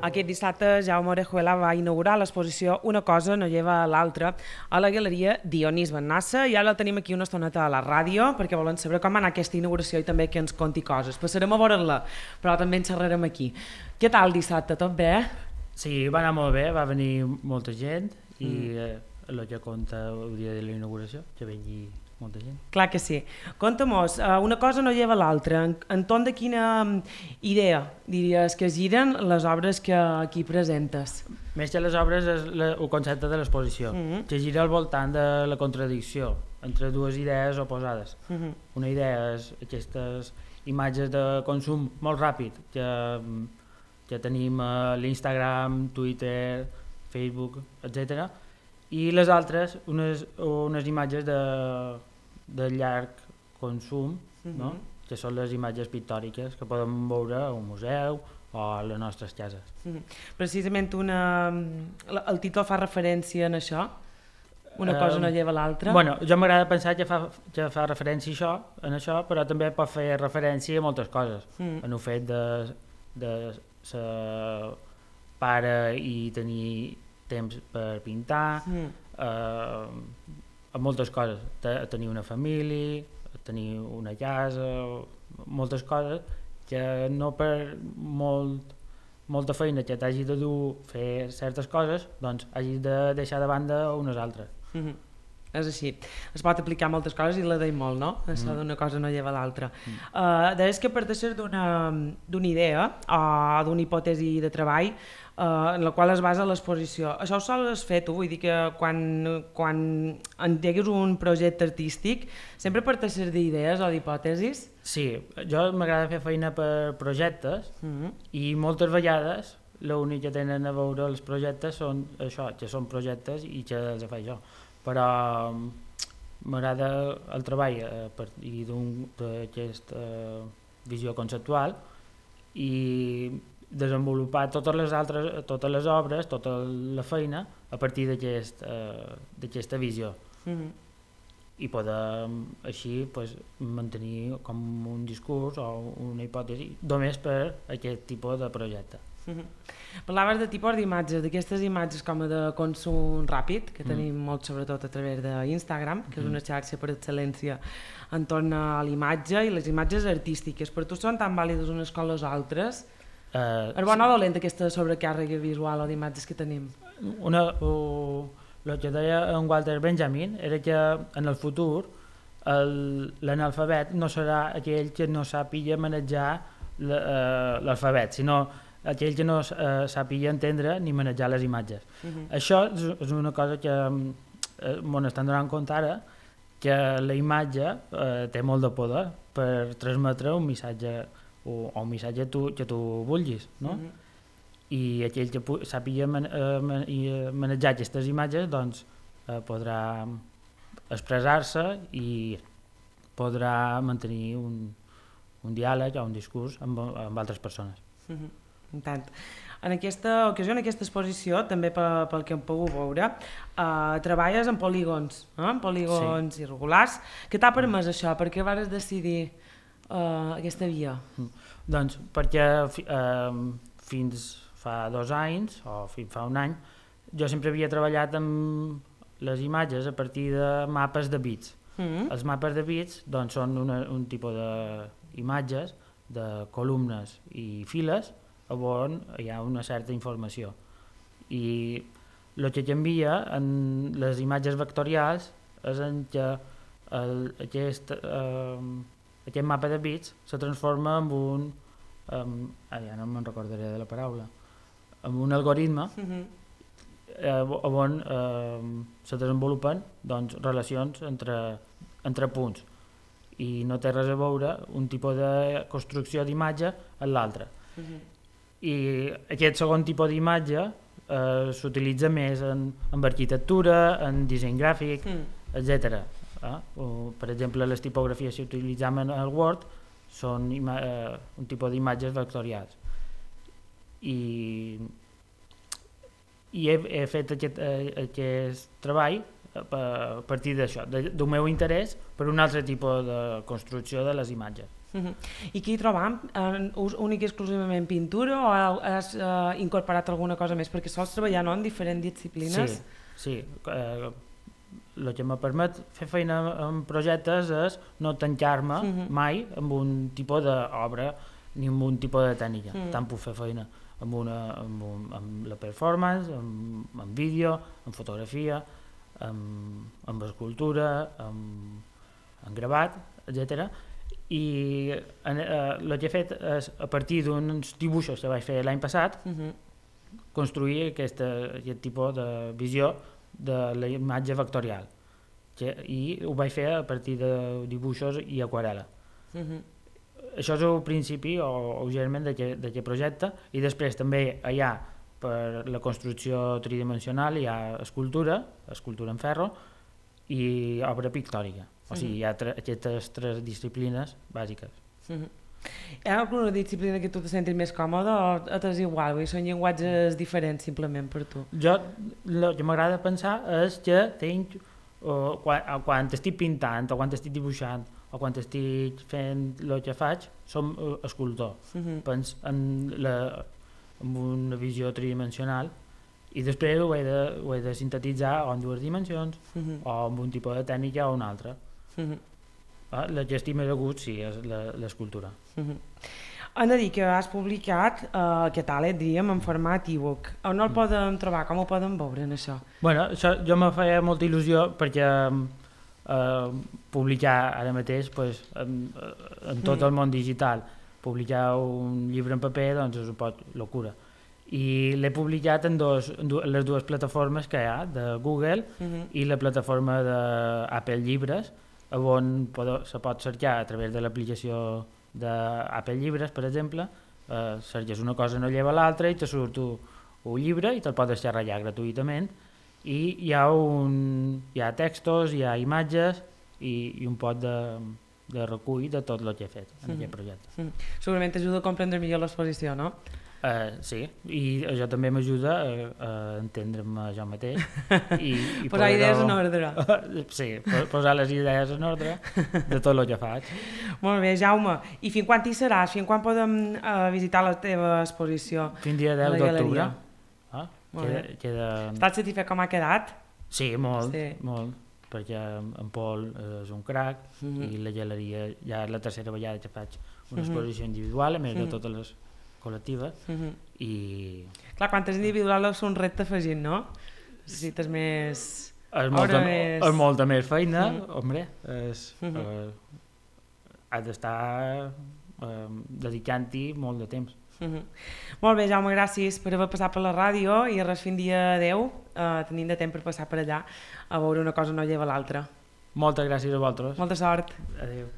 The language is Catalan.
Aquest dissabte Jaume Orejuela va inaugurar l'exposició Una cosa no lleva a l'altra a la Galeria Dionís Bennassa i ara la tenim aquí una estoneta a la ràdio perquè volen saber com va anar aquesta inauguració i també que ens conti coses. Passarem a veure-la, però també ens xerrarem aquí. Què tal dissabte? Tot bé? Sí, va anar molt bé, va venir molta gent i el que conta el dia de la inauguració, que vengui molta gent. Clar que sí. Conta-mos, una cosa no lleva l'altra. Entorn de quina idea diries que giren les obres que aquí presentes? Més que les obres és el concepte de l'exposició, que gira al voltant de la contradicció entre dues idees oposades. Una idea és aquestes imatges de consum molt ràpid que tenim a l'Instagram, Twitter, Facebook, etc. I les altres, unes imatges de llarg consum, no? Que són les imatges pictòriques que podem veure a un museu o a les nostres cases. Precisament el títol fa referència a això? Una cosa no lleva l'altra? Bueno, jo m'agrada pensar que fa referència a això, però també pot fer referència a moltes coses. En el fet de ser pare i tenir temps per pintar, a moltes coses, tenir una família, tenir una casa, moltes coses que no per molta feina que t'hagi de dur fer certes coses, doncs hagis de deixar de banda unes altres. És així, es pot aplicar moltes coses i la deim molt, no? Això d'una cosa no lleva l'altra. Deies que parteixes d'una idea o d'una hipòtesi de treball en la qual es basa l'exposició. Això ho sols fer tu? Vull dir que quan engegues un projecte artístic sempre parteixes d'idees o d'hipòtesis? Sí, jo m'agrada fer feina per projectes i moltes vegades l'únic que tenen a veure els projectes són això, que són projectes i que els faig jo. Però m'agrada el treball a partir d'aquesta visió conceptual i desenvolupar totes les obres, tota la feina a partir d'aquesta visió i poder així mantenir com un discurs o una hipòtesi només per aquest tipus de projecte. Parlaves de tipus d'imatges, d'aquestes imatges com de consum ràpid, que tenim molt sobretot a través d'Instagram, que és una xarxa per excel·lència entorn a l'imatge i les imatges artístiques. Per tu són tan vàlides unes com les altres? És bona o dolenta aquesta sobrecàrrega visual o d'imatges que tenim? El que deia en Walter Benjamin era que en el futur l'analfabet no serà aquell que no sàpiga manejar l'alfabet, sinó aquell que no sàpiga entendre ni manejar les imatges. Això és una cosa que m'ho estan donant compte ara, que la imatge té molt de poder per transmetre un missatge o un missatge que tu vulguis, no? I aquell que sàpiga manejar aquestes imatges doncs podrà expressar-se i podrà mantenir un diàleg o un discurs amb altres persones. Tant. En aquesta ocasió, en aquesta exposició, també pel que hem pogut veure, treballes en polígons, en polígons irregulars. Què t'ha permès això? Per què vas decidir aquesta via? Doncs perquè fins fa 2 anys, o fins fa 1 any, jo sempre havia treballat amb les imatges a partir de mapes de bits. Els mapes de bits doncs, són un tipus d'imatges, de columnes i files, on hi ha una certa informació. I el que canvia en les imatges vectorials és en que aquest mapa de bits se transforma en ja no me'n recordaré de la paraula, en un algoritme on se desenvolupen doncs, relacions entre punts i no té res a veure un tipus de construcció d'imatge en l'altre. I aquest segon tipus d'imatge s'utilitza més en arquitectura, en disseny gràfic, etc. Per exemple, les tipografies que utilitzem en el Word són un tipus d'imatges vectorials. I he fet aquest treball a partir d'això, del meu interès per un altre tipus de construcció de les imatges. I què hi trobam? Únic i exclusivament pintura o has incorporat alguna cosa més? Perquè sols treballar en diferents disciplines? Sí. El que me permet fer feina en projectes és no tancar-me mai amb un tipus d'obra ni amb un tipus de tècnica. Tant puc fer feina amb la performance, amb vídeo, amb fotografia, amb escultura, amb gravat, etc. I el que he fet és, a partir d'uns dibuixos que vaig fer l'any passat, construir aquest tipus de visió de la imatge vectorial. I ho vaig fer a partir de dibuixos i aquarel·la. Això és el principi o germen d'aquest projecte, i després també hi ha, per la construcció tridimensional, hi ha escultura en ferro i obra pictòrica. O sigui, hi ha aquestes tres disciplines bàsiques. Hi ha alguna disciplina que tu te sentis més còmode o t'és igual? Són llenguatges diferents simplement per tu? El que m'agrada pensar és que tinc, quan estic pintant o quan estic dibuixant o quan estic fent el que faig, som escultor. Penso en una visió tridimensional i després ho he de sintetitzar o en dues dimensions o amb un tipus de tècnica o una altra. La que estic més a gust sí és l'escultura. Han de dir que has publicat catàleg, diríem, en format e-book. On el podem trobar? Com ho podem veure en això? Bueno, això jo me feia molta il·lusió perquè publicar ara mateix en tot el món digital, publicar un llibre en paper doncs és un poc locura. I l'he publicat en les dues plataformes que hi ha, de Google i la plataforma d'Apple Llibres, on se pot cercar a través de l'aplicació d'Apple Llibres, per exemple, cerques una cosa no lleva l'altra i te surt un llibre i te'l pots descarregar gratuïtament, i hi ha textos, hi ha imatges i un pot de recull de tot el que he fet en aquest projecte. Segurament t'ajuda a comprendre millor l'exposició, no? Sí, i això també m'ajuda a entendre'm jo mateix i posar idees en ordre. Sí, posar les idees en ordre de tot el que faig. Molt bé, Jaume, i fins quan hi seràs? Fins quan podem visitar la teva exposició? Fins dia 10 d'octubre. Estàs satisfet com ha quedat? Sí, molt, perquè en Pol és un crac i la galeria ja és la tercera vegada que faig una exposició individual, a més de totes les col·lectives, i... Clar, quan és individual és un repte afegit, no? Necessites més... És molta més feina, home, has d'estar dedicant-hi molt de temps. Molt bé, Jaume, gràcies per haver passat per la ràdio i res fins dia 10, tenim de temps per passar per allà a veure una cosa no lleva l'altra. Moltes gràcies a vosaltres. Molta sort. Adéu.